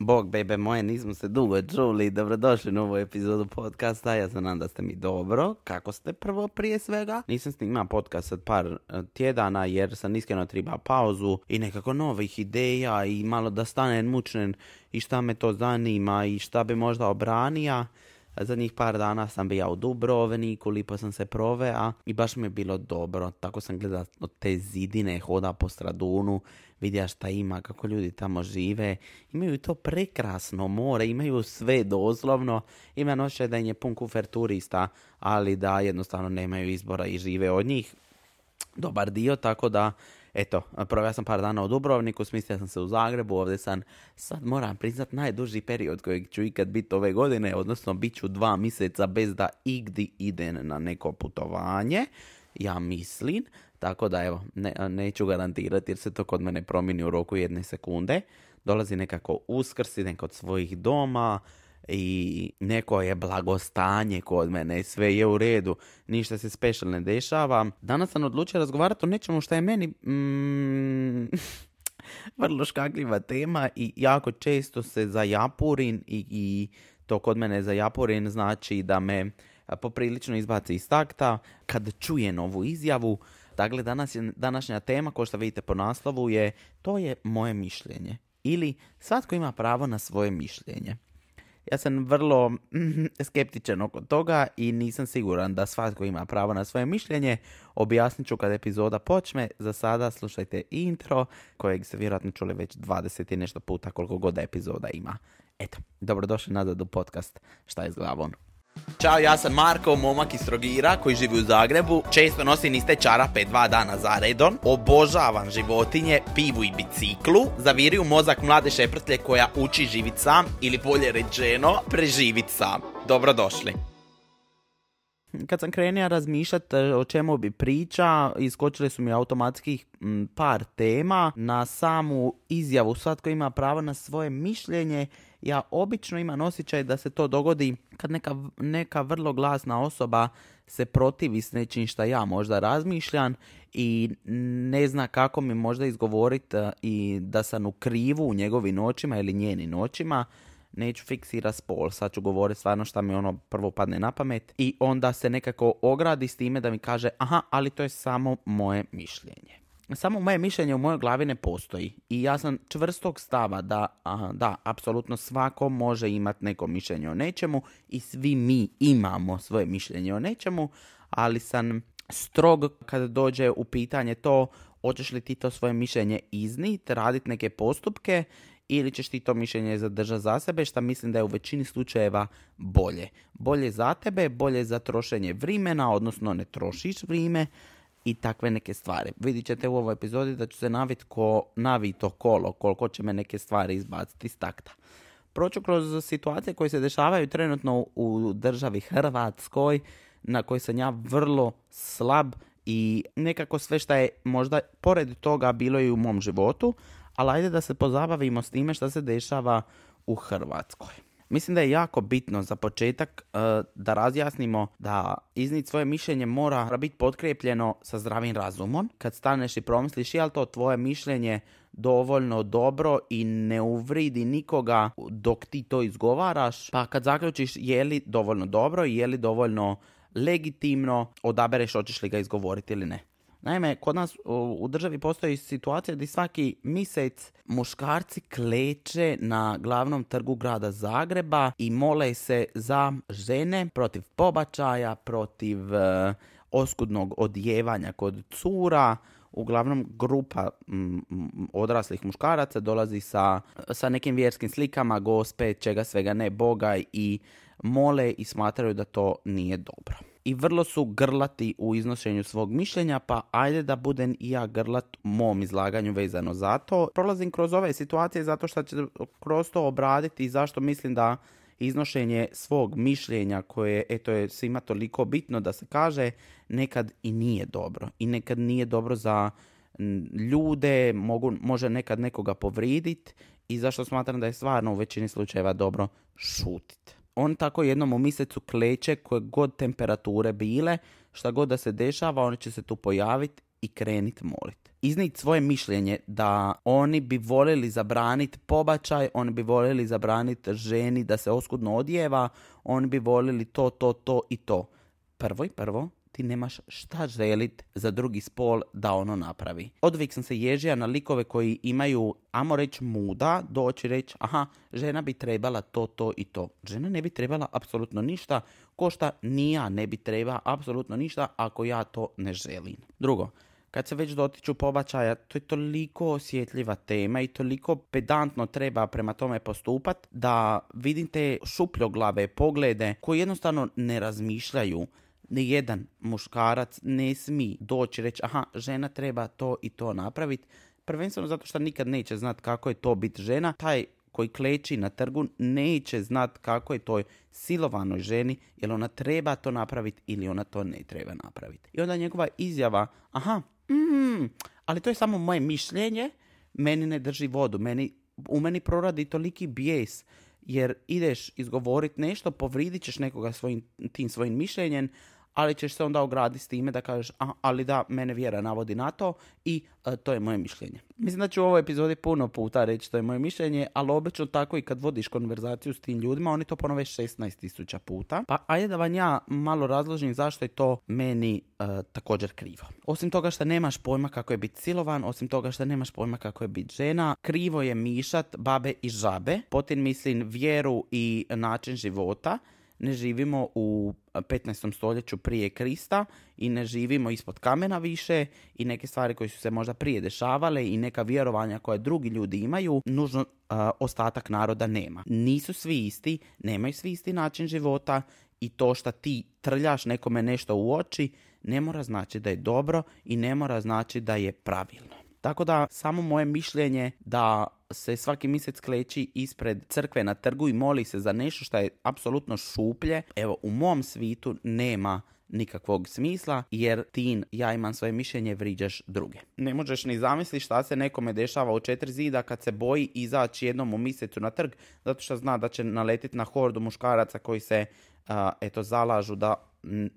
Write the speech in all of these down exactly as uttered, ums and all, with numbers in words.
Bog, bebe moje, nismo se dugo čuli. Dobrodošli u novu epizodu podcasta. Ja se nadam da ste mi dobro. Kako ste prvo prije svega? Nisam snimao podcast od par tjedana jer sam iskreno treba pauzu i nekako novih ideja i malo da stanem mučnen i šta me to zanima i šta bi možda obranija. Zadnjih par dana sam bio u Dubrovniku, lipo sam se proveo i baš mi je bilo dobro. Tako sam gledao od te zidine, hoda po Stradunu, vidio šta ima, kako ljudi tamo žive. Imaju to prekrasno more, imaju sve doslovno. Ima noće da im je pun kufer turista, ali da jednostavno nemaju izbora i žive od njih dobar dio, tako da eto, proveo sam par dana u Dubrovniku, smislio sam se u Zagrebu, ovdje sam, sad moram priznat, najduži period kojeg ću ikad biti ove godine, odnosno bit ću dva mjeseca bez da igdje idem na neko putovanje, ja mislim, tako da evo, ne, neću garantirati jer se to kod mene promijeni u roku jedne sekunde. Dolazi nekako Uskrs, idem kod svojih doma, i neko je blagostanje kod mene, sve je u redu, ništa se special ne dešava. Danas sam odlučio razgovarati o nečemu što je meni mm, vrlo škakljiva tema i jako često se zajapurin i, i to kod mene zajapurin znači da me poprilično izbaci iz takta kad čujem ovu izjavu. Dakle, danas je, današnja tema, kao što vidite po naslovu, je to je moje mišljenje ili svatko ima pravo na svoje mišljenje. Ja sam vrlo mm, skeptičan oko toga i nisam siguran da svatko ima pravo na svoje mišljenje. Objasnit ću kad epizoda počne. Za sada slušajte intro kojeg ste vjerojatno čuli već dvadeset i nešto puta koliko god epizoda ima. Eto, dobrodošli nazad u podcast Šta je s glavom. Ćao, ja sam Marko, momak iz Trogira koji živi u Zagrebu. Često nosim iste čarape dva dana za redom. Obožavam životinje, pivu i biciklu. Zaviri u mozak mlade šeprtlje koja uči živit sam ili bolje rečeno preživit sam. Dobrodošli. Kad sam krenio razmišljati o čemu bi priča, iskočili su mi automatski par tema. Na samu izjavu svatko ima pravo na svoje mišljenje, ja obično imam osjećaj da se to dogodi kad neka, neka vrlo glasna osoba se protivi s nečim šta ja možda razmišljam i ne zna kako mi možda izgovoriti i da sam u krivu u njegovim očima ili njenim očima. Neću fiksirati spol, sad ću govoriti stvarno šta mi ono prvo padne na pamet i onda se nekako ogradi s time da mi kaže aha, ali to je samo moje mišljenje. Samo moje mišljenje u mojoj glavi ne postoji i ja sam čvrstog stava da, aha, da, apsolutno svako može imati neko mišljenje o nečemu i svi mi imamo svoje mišljenje o nečemu, ali sam strog kada dođe u pitanje to hoćeš li ti to svoje mišljenje izniti, raditi neke postupke ili ćeš ti to mišljenje zadržati za sebe, što mislim da je u većini slučajeva bolje. Bolje za tebe, bolje za trošenje vremena, odnosno ne trošiš vrijeme i takve neke stvari. Vidit ćete u ovoj epizodi da ću se naviti ko navito kolo, koliko će me neke stvari izbaciti iz takta. Proću kroz situacije koje se dešavaju trenutno u državi Hrvatskoj, na kojoj sam ja vrlo slab i nekako sve što je možda pored toga bilo i u mom životu, ali ajde da se pozabavimo s time što se dešava u Hrvatskoj. Mislim da je jako bitno za početak uh, da razjasnimo da iznijeti svoje mišljenje mora biti potkrepljeno sa zdravim razumom. Kad staneš i promisliš je li to tvoje mišljenje dovoljno dobro i ne uvridi nikoga dok ti to izgovaraš, pa kad zaključiš je li dovoljno dobro i je li dovoljno legitimno, odabereš hoćeš li ga izgovoriti ili ne. Naime, kod nas u državi postoji situacija gdje svaki mjesec muškarci kleče na glavnom trgu grada Zagreba i mole se za žene protiv pobačaja, protiv e, oskudnog odjevanja kod cura. Uglavnom grupa m, odraslih muškaraca dolazi sa, sa nekim vjerskim slikama gospe, čega svega ne, Boga i mole i smatraju da to nije dobro. I vrlo su grlati u iznošenju svog mišljenja, pa ajde da budem i ja grlat u mom izlaganju vezano za to. Prolazim kroz ove situacije zato što ću kroz to obraditi i zašto mislim da iznošenje svog mišljenja koje eto je svima toliko bitno da se kaže nekad i nije dobro. I nekad nije dobro za ljude, mogu, može nekad nekoga povriditi i zašto smatram da je stvarno u većini slučajeva dobro šutiti. On tako jednom u mjesecu kleče koje god temperature bile, šta god da se dešava, oni će se tu pojaviti i krenit molit. Iznijeti svoje mišljenje da oni bi voljeli zabraniti pobačaj, oni bi voljeli zabraniti ženi da se oskudno odjeva, oni bi voljeli to, to, to i to. Prvo i prvo, ti nemaš šta želit za drugi spol da ono napravi. Odvijek sam se ježija na likove koji imaju, amo reći muda, doći reći, aha, žena bi trebala to, to i to. Žena ne bi trebala apsolutno ništa, ko šta ni ja ne bi treba apsolutno ništa ako ja to ne želim. Drugo, kad se već dotiču pobačaja, to je toliko osjetljiva tema i toliko pedantno treba prema tome postupat da vidim te šupljoglave poglede koji jednostavno ne razmišljaju. Nijedan muškarac ne smije doći reći, aha, žena treba to i to napraviti. Prvenstveno zato što nikad neće znat kako je to biti žena. Taj koji kleči na trgu neće znat kako je toj silovanoj ženi, jer ona treba to napraviti ili ona to ne treba napraviti. I onda njegova izjava, aha, mm, ali to je samo moje mišljenje, meni ne drži vodu, meni, u meni proradi toliki bijes, jer ideš izgovoriti nešto, povridit ćeš nekoga svojim, tim svojim mišljenjem, ali ćeš se onda ograditi s time da kažeš, a, ali da, mene vjera navodi na to i a, to je moje mišljenje. Mislim da ću u ovoj epizodi puno puta reći to je moje mišljenje, ali obično tako i kad vodiš konverzaciju s tim ljudima, oni to ponove šesnaest tisuća puta. Pa ajde da vam ja malo razložim zašto je to meni a, također krivo. Osim toga što nemaš pojma kako je biti silovan, osim toga što nemaš pojma kako je biti žena, krivo je mišat babe i žabe, potim mislim vjeru i način života. Ne živimo u petnaestom stoljeću prije Krista i ne živimo ispod kamena više i neke stvari koje su se možda prije dešavale i neka vjerovanja koje drugi ljudi imaju, nužno uh, ostatak naroda nema. Nisu svi isti, nemaju svi isti način života i to što ti trljaš nekome nešto u oči ne mora znači da je dobro i ne mora znači da je pravilno. Tako da samo moje mišljenje da se svaki mjesec kleči ispred crkve na trgu i moli se za nešto što je apsolutno šuplje, evo u mom svitu nema nikakvog smisla, jer ti, ja imam svoje mišljenje, vriđaš druge. Ne možeš ni zamisliti šta se nekome dešava u četiri zida kad se boji izaći jednom u mjesecu na trg, zato što zna da će naletiti na hordu muškaraca koji se uh, eto zalažu da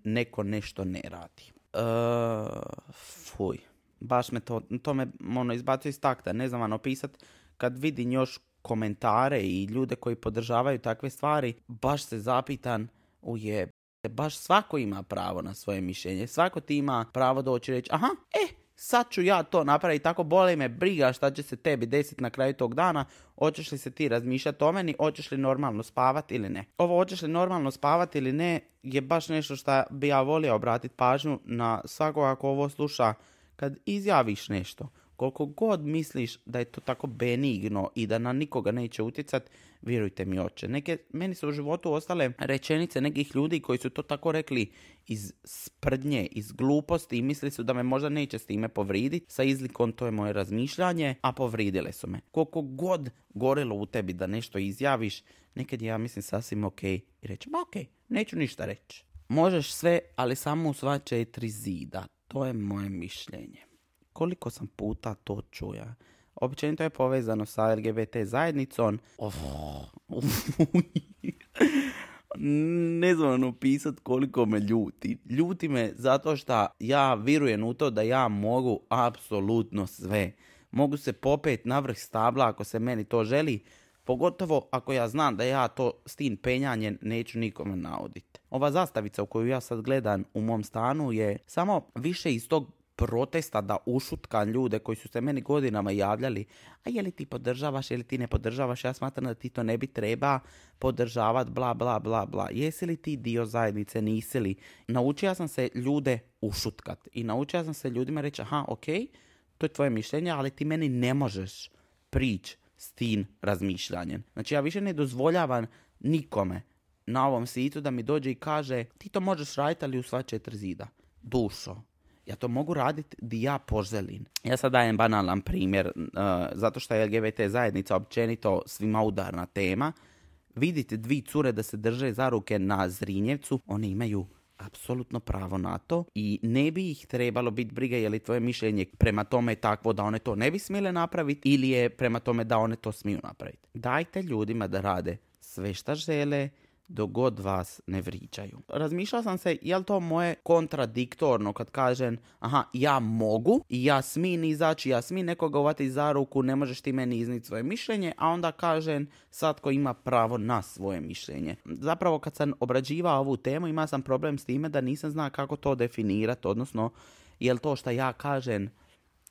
neko nešto ne radi. Uh, fuj. Baš me to, to me ono, izbacuje iz takta, ne znam vam opisat, kad vidim još komentare i ljude koji podržavaju takve stvari, baš se zapitan, ujeb, baš svako ima pravo na svoje mišljenje, svako ti ima pravo doći reći, aha, e, sad ću ja to napraviti, tako boli me briga šta će se tebi desiti na kraju tog dana, hoćeš li se ti razmišljati o meni, hoćeš li normalno spavati ili ne. Ovo hoćeš li normalno spavati ili ne je baš nešto što bi ja volio obratiti pažnju na svakoga ako ovo sluša. Kad izjaviš nešto, koliko god misliš da je to tako benigno i da na nikoga neće utjecat, vjerujte mi oče. Neke, meni su u životu ostale rečenice nekih ljudi koji su to tako rekli iz sprdnje, iz gluposti i mislili su da me možda neće s time povriditi. Sa izlikom to je moje razmišljanje, a povridile su me. Koliko god gorelo u tebi da nešto izjaviš, nekad je ja mislim sasvim ok i reći, ma ok, neću ništa reći. Možeš sve, ali samo u sva četiri zida. To je moje mišljenje. Koliko sam puta to čuja. Općenito je povezano sa L G B T zajednicom. Of. Ne znam opisati koliko me ljuti. Ljuti me zato što ja vjerujem u to da ja mogu apsolutno sve. Mogu se popet na vrh stabla ako se meni to želi. Pogotovo ako ja znam da ja to s tim penjanjem neću nikome nauditi. Ova zastavica u koju ja sad gledam u mom stanu je samo više iz tog protesta da ušutkam ljude koji su se meni godinama javljali, a je li ti podržavaš, je li ti ne podržavaš, ja smatram da ti to ne bi treba podržavati, bla, bla, bla, bla. Jesi li ti dio zajednice, nisi li? Naučio sam se ljude ušutkat i naučio sam se ljudima reći, aha, ok, to je tvoje mišljenje, ali ti meni ne možeš prići s tim razmišljanjem. Znači ja više ne dozvoljavam nikome na ovom svijetu da mi dođe i kaže ti to možeš raditi ali u sva četiri zida. Dušo, ja to mogu raditi di ja poželim. Ja sad dajem banalan primjer, uh, zato što je L G B T zajednica općenito svima udarna tema. Vidite dvi cure da se drže za ruke na Zrinjevcu, one imaju apsolutno pravo na to i ne bi ih trebalo biti briga je li tvoje mišljenje prema tome takvo da one to ne bi smjele napraviti ili je prema tome da one to smiju napraviti. Dajte ljudima da rade sve šta žele, dok god vas ne vriđaju. Razmišljala sam se, je li to moje kontradiktorno kad kažem, aha, ja mogu i ja smijem izaći, ja smijem nekoga uvati za ruku, ne možeš ti meni izniti svoje mišljenje, a onda kažem, svatko ima pravo na svoje mišljenje. Zapravo kad sam obrađivao ovu temu, imao sam problem s time da nisam znao kako to definirati, odnosno, je li to što ja kažem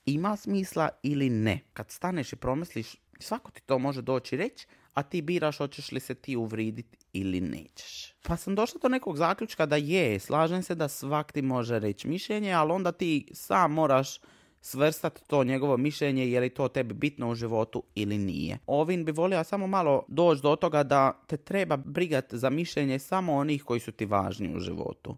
ima smisla ili ne. Kad staneš i promisliš, svako ti to može doći reći, a ti biraš hoćeš li se ti uvriditi ili nećeš. Pa sam došla do nekog zaključka da je, slažem se da svak ti može reći mišljenje, ali onda ti sam moraš svrstati to njegovo mišljenje, je li to tebi bitno u životu ili nije. Ovim bi volio samo malo doći do toga da te treba brigati za mišljenje samo onih koji su ti važni u životu.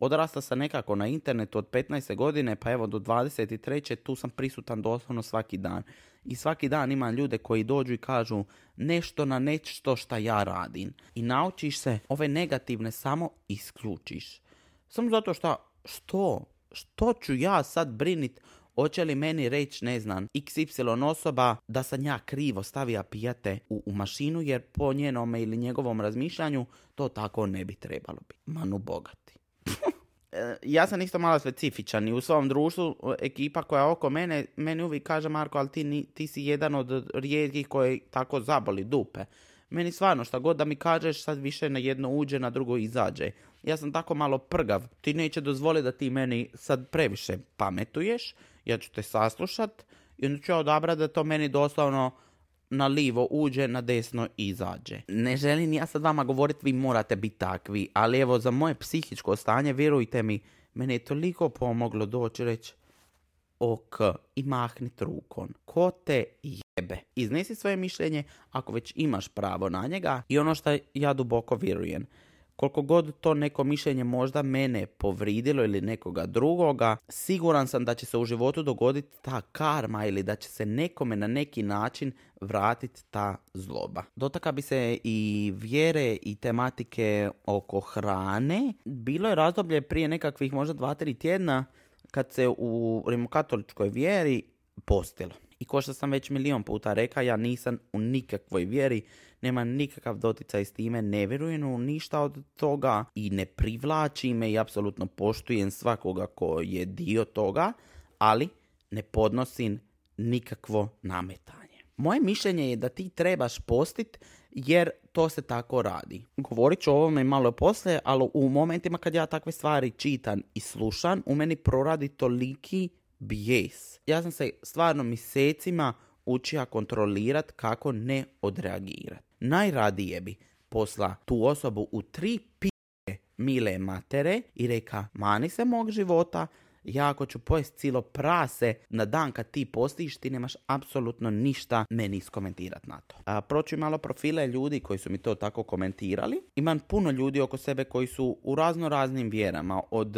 Odrasta sam nekako na internetu od petnaeste godine, pa evo do dvadeset treće tu sam prisutan doslovno svaki dan. I svaki dan imam ljude koji dođu i kažu nešto na nešto šta ja radim. I naučiš se ove negativne samo isključiš. Samo zato što, što? Što ću ja sad brinit? Hoće li meni reći, ne znam, iks ipsilon osoba da sam ja krivo stavija pijate u, u mašinu, jer po njenome ili njegovom razmišljanju to tako ne bi trebalo biti. Manu bogati. Ja sam isto malo specifičan i u svom društvu ekipa koja oko mene, meni uvijek kaže Marko, ali ti, ti si jedan od rijetkih koji tako zaboli dupe. Meni stvarno šta god da mi kažeš sad više na jedno uđe, na drugo izađe. Ja sam tako malo prgav. Ti neće dozvoliti da ti meni sad previše pametuješ. Ja ću te saslušat i onda ću ja odabrati da to meni doslovno na livo uđe, na desno izađe. Ne želim ja sad vama govoriti vi morate biti takvi, ali evo za moje psihičko stanje, vjerujte mi, meni je toliko pomoglo doći reći ok i mahnit rukom. Ko te jebe? Iznesi svoje mišljenje ako već imaš pravo na njega i ono što ja duboko vjerujem. Koliko god to neko mišljenje možda mene povridilo ili nekoga drugoga, siguran sam da će se u životu dogoditi ta karma ili da će se nekome na neki način vratiti ta zloba. Dotakla bi se i vjere i tematike oko hrane. Bilo je razdoblje prije nekakvih možda dva, tri tjedna kad se u rimokatoličkoj vjeri postilo. I ko što sam već milion puta rekao, ja nisam u nikakvoj vjeri, nema nikakav doticaj s time, ne vjerujem u ništa od toga i ne privlači me i apsolutno poštujem svakoga ko je dio toga, ali ne podnosim nikakvo nametanje. Moje mišljenje je da ti trebaš postit jer to se tako radi. Govorit ću o ovome malo poslije, ali u momentima kad ja takve stvari čitam i slušam, u meni proradi toliki bijes. Ja sam se stvarno mjesecima učio kontrolirat kako ne odreagirat. Najradije bi posla tu osobu u tri p***e mile matere i reka, mani se mog života, ja ako ću pojesti cijelo prase na dan kad ti postiš, ti nemaš apsolutno ništa meni iskomentirat na to. A, proću malo profile ljudi koji su mi to tako komentirali. Imam puno ljudi oko sebe koji su u razno raznim vjerama, od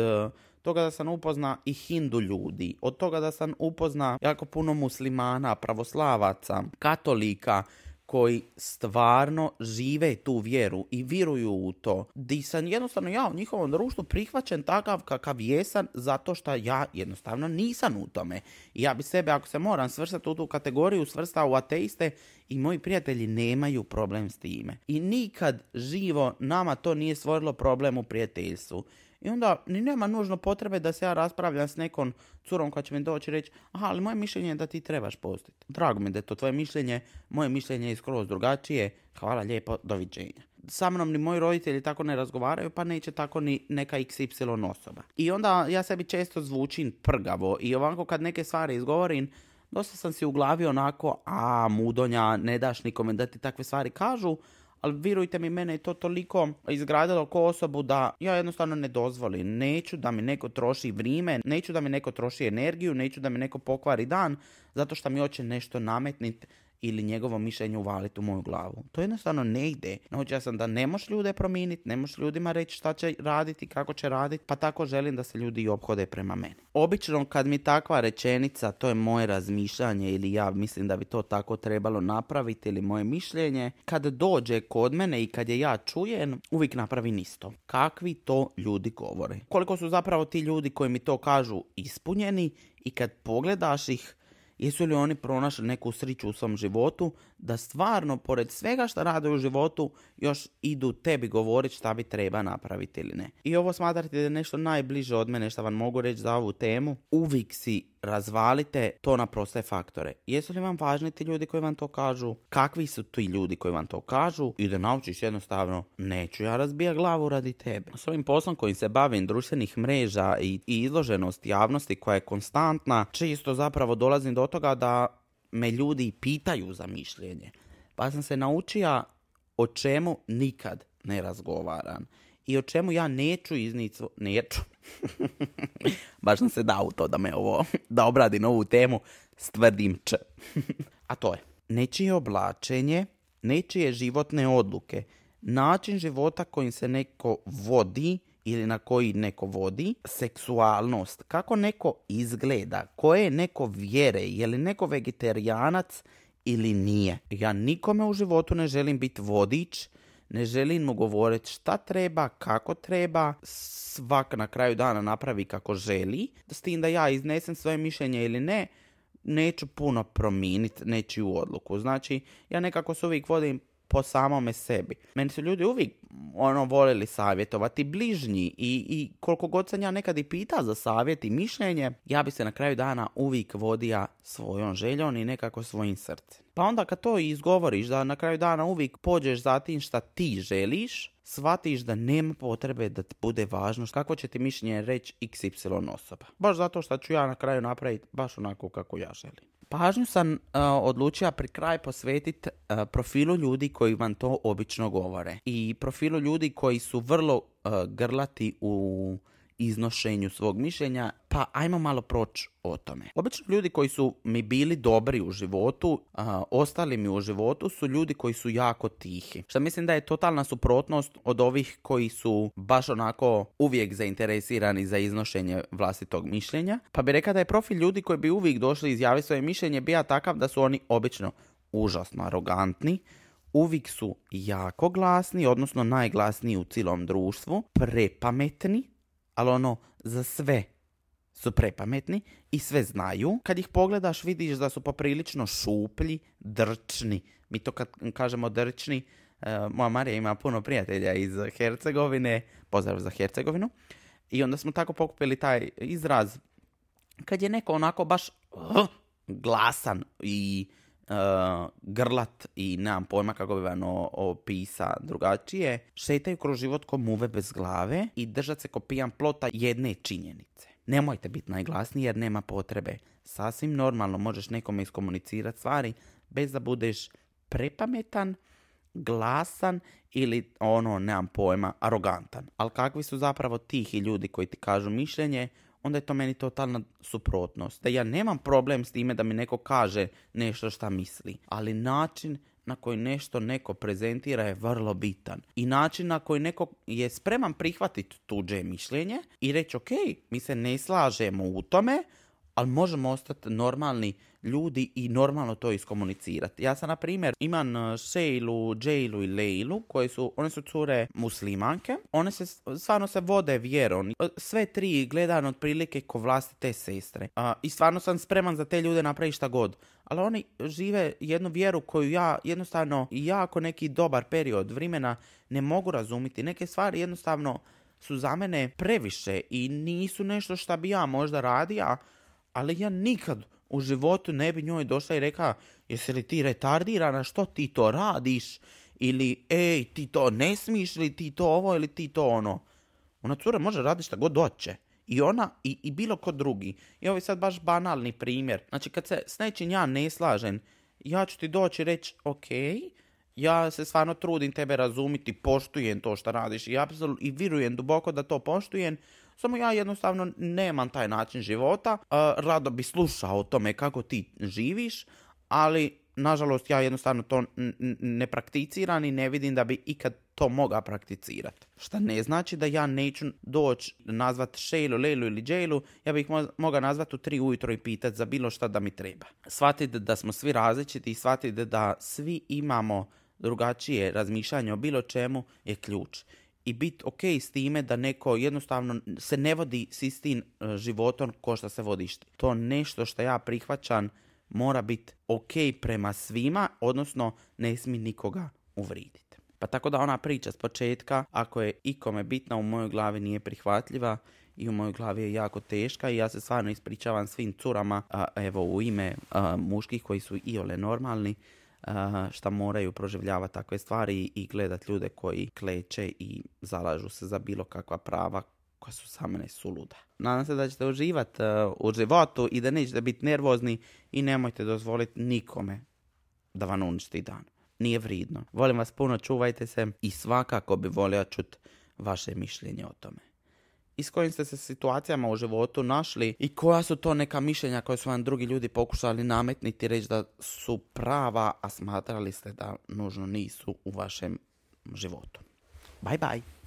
toga da sam upozna i hindu ljudi, od toga da sam upozna jako puno muslimana, pravoslavaca, katolika, koji stvarno žive tu vjeru i vjeruju u to. Di sam jednostavno ja u njihovom društvu prihvaćen takav kakav jesam zato što ja jednostavno nisam u tome. I ja bi sebe, ako se moram svrstati u tu kategoriju, svrstao u ateiste i moji prijatelji nemaju problem s time. I nikad živo nama to nije stvorilo problem u prijateljstvu. I onda ni nema nužno potrebe da se ja raspravljam s nekom curom koja će mi doći reći, aha, ali moje mišljenje je da ti trebaš postiti. Drago mi da je to tvoje mišljenje, moje mišljenje je skroz drugačije, hvala lijepo, doviđenja. Sa mnom ni moji roditelji tako ne razgovaraju, pa neće tako ni neka iks ipsilon osoba. I onda ja sebi često zvučim prgavo i ovako kad neke stvari izgovorim, dosta sam si u glavi onako, a mudonja, ne daš nikome da ti takve stvari kažu, ali vjerujte mi, mene je to toliko izgradilo ko osobu da ja jednostavno ne dozvolim. Neću da mi neko troši vrijeme, neću da mi neko troši energiju, neću da mi neko pokvari dan, zato što mi hoće nešto nametniti ili njegovo mišljenje uvaliti u moju glavu. To jednostavno ne ide. Naučio sam da ne možeš ljude promijeniti, ne možeš ljudima reći šta će raditi, kako će raditi, pa tako želim da se ljudi i ophode prema meni. Obično kad mi takva rečenica, to je moje razmišljanje ili ja mislim da bi to tako trebalo napraviti ili moje mišljenje, kad dođe kod mene i kad je ja čujem, uvijek napravim isto. Kakvi to ljudi govore? Koliko su zapravo ti ljudi koji mi to kažu ispunjeni i kad pogledaš ih, jesu li oni pronašli neku sriću u svom životu? da stvarno, pored svega što rade u životu, još idu tebi govoriti šta bi treba napraviti ili ne. I ovo smatrate da je nešto najbliže od mene što vam mogu reći za ovu temu. Uvijek si razvalite to na proste faktore. Jesu li vam važni ti ljudi koji vam to kažu? Kakvi su ti ljudi koji vam to kažu? I da naučiš jednostavno, neću ja razbija glavu radi tebe. S ovim poslom kojim se bavim, društvenih mreža i, i izloženost javnosti koja je konstantna, često zapravo dolazim do toga da me ljudi pitaju za mišljenje. Pa sam se naučio o čemu nikad ne razgovaram. I o čemu ja neću izniti, neću. Baš sam se dao u to da me ovo, da obradim ovu temu, stvrdim č. A to je, nečije oblačenje, nečije životne odluke, način života kojim se neko vodi ili na koji neko vodi, seksualnost, kako neko izgleda, koje je neko vjere, je li neko vegetarijanac ili nije. Ja nikome u životu ne želim biti vodič, ne želim mu govoriti šta treba, kako treba, svak na kraju dana napravi kako želi, s tim da ja iznesem svoje mišljenje ili ne, neću puno promijeniti nečiju odluku. Znači, ja nekako se uvijek vodim po samome sebi. Meni su ljudi uvijek ono voljeli savjetovati bližnji i, i koliko god sam ja nekad i pita za savjet i mišljenje, ja bi se na kraju dana uvijek vodio svojom željom i nekako svojim srcem. Pa onda kad to izgovoriš, da na kraju dana uvijek pođeš za tim šta ti želiš, shvatiš da nema potrebe da ti bude važno kako će ti mišljenje reći iks ipsilon osoba. Baš zato što ću ja na kraju napraviti baš onako kako ja želim. Pažnju sam uh, odlučio pri kraj posvetiti uh, profilu ljudi koji vam to obično govore. I profilu ljudi koji su vrlo uh, grlati u iznošenju svog mišljenja, pa ajmo malo proći o tome. Obično ljudi koji su mi bili dobri u životu, a, ostali mi u životu, su ljudi koji su jako tihi. Što mislim da je totalna suprotnost od ovih koji su baš onako uvijek zainteresirani za iznošenje vlastitog mišljenja. Pa bi rekao da je profil ljudi koji bi uvijek došli izjaviti svoje mišljenje bio takav da su oni obično užasno arogantni, uvijek su jako glasni, odnosno najglasniji u cijelom društvu, prepametni, ali ono, za sve su prepametni i sve znaju. Kad ih pogledaš, vidiš da su poprilično šuplji, drčni. Mi to kad kažemo drčni, uh, moja Marija ima puno prijatelja iz Hercegovine, pozdrav za Hercegovinu, i onda smo tako pokupili taj izraz. Kad je neko onako baš uh, glasan i Uh, grlat i nemam pojma kako bi vam opisa drugačije, šetaju kroz život ko muve bez glave i držat se ko pijan plota jedne činjenice. Nemojte biti najglasniji jer nema potrebe. Sasvim normalno možeš nekome iskomunicirati stvari bez da budeš prepametan, glasan ili ono, nemam pojma, arogantan. Ali kakvi su zapravo tihi ljudi koji ti kažu mišljenje, onda je to meni totalna suprotnost. Da ja nemam problem s time da mi neko kaže nešto šta misli, ali način na koji nešto neko prezentira je vrlo bitan. I način na koji neko je spreman prihvatiti tuđe mišljenje i reći ok, mi se ne slažemo u tome, ali možemo ostati normalni ljudi i normalno to iskomunicirati. Ja sam, na primjer, imam Šejlu, Džejlu i Lejlu, koje su, one su cure muslimanke. One se, stvarno se vode vjerom. Sve tri gledam otprilike ko vlastite sestre. A, I stvarno sam spreman za te ljude napraviti šta god. Ali oni žive jednu vjeru koju ja jednostavno, jako neki dobar period vremena ne mogu razumjeti. Neke stvari jednostavno su za mene previše i nisu nešto šta bi ja možda radio, ali ja nikad u životu ne bi njoj došla i rekla, jesi li ti retardirana, što ti to radiš? Ili, ej, ti to ne smiješ, ili ti to ovo, ili ti to ono. Ona cura može raditi šta god hoće. I ona, i, i bilo ko drugi. I ovo je sad baš banalni primjer. Znači, kad se s nečim ja ne slažem, ja ću ti doći i reći, ok, ja se stvarno trudim tebe razumiti, poštujem to što radiš i, apsolut, i vjerujem duboko da to poštujem. Samo ja jednostavno nemam taj način života, uh, rado bi slušao o tome kako ti živiš, ali nažalost ja jednostavno to n- n- ne prakticiram i ne vidim da bi ikad to mogao prakticirati. Šta ne znači da ja neću doći nazvat Šejlu, Lejlu ili Džejlu, ja bih mo- mogao nazvat u tri ujutro i pitati za bilo šta da mi treba. Shvatite da smo svi različiti i shvatite da svi imamo drugačije razmišljanje o bilo čemu je ključ. I biti ok s time da neko jednostavno se ne vodi s istim životom ko što se vodiš. To nešto što ja prihvaćam mora biti ok prema svima, odnosno ne smije nikoga uvriditi. Pa tako da ona priča s početka, ako je ikome bitna, u mojoj glavi nije prihvatljiva i u mojoj glavi je jako teška i ja se stvarno ispričavam svim curama, a, evo u ime a, muških koji su iole normalni, a, šta moraju proživljavati takve stvari i gledat ljude koji kleče i zalažu se za bilo kakva prava koja su za mene suluda. Nadam se da ćete uživati uh, u životu i da nećete biti nervozni i nemojte dozvoliti nikome da vam uništi dan. Nije vridno. Volim vas puno, čuvajte se i svakako bi volio čuti vaše mišljenje o tome. I s kojim ste se situacijama u životu našli i koja su to neka mišljenja koje su vam drugi ljudi pokušali nametniti, reći da su prava, a smatrali ste da nužno nisu u vašem životu. Bye bye.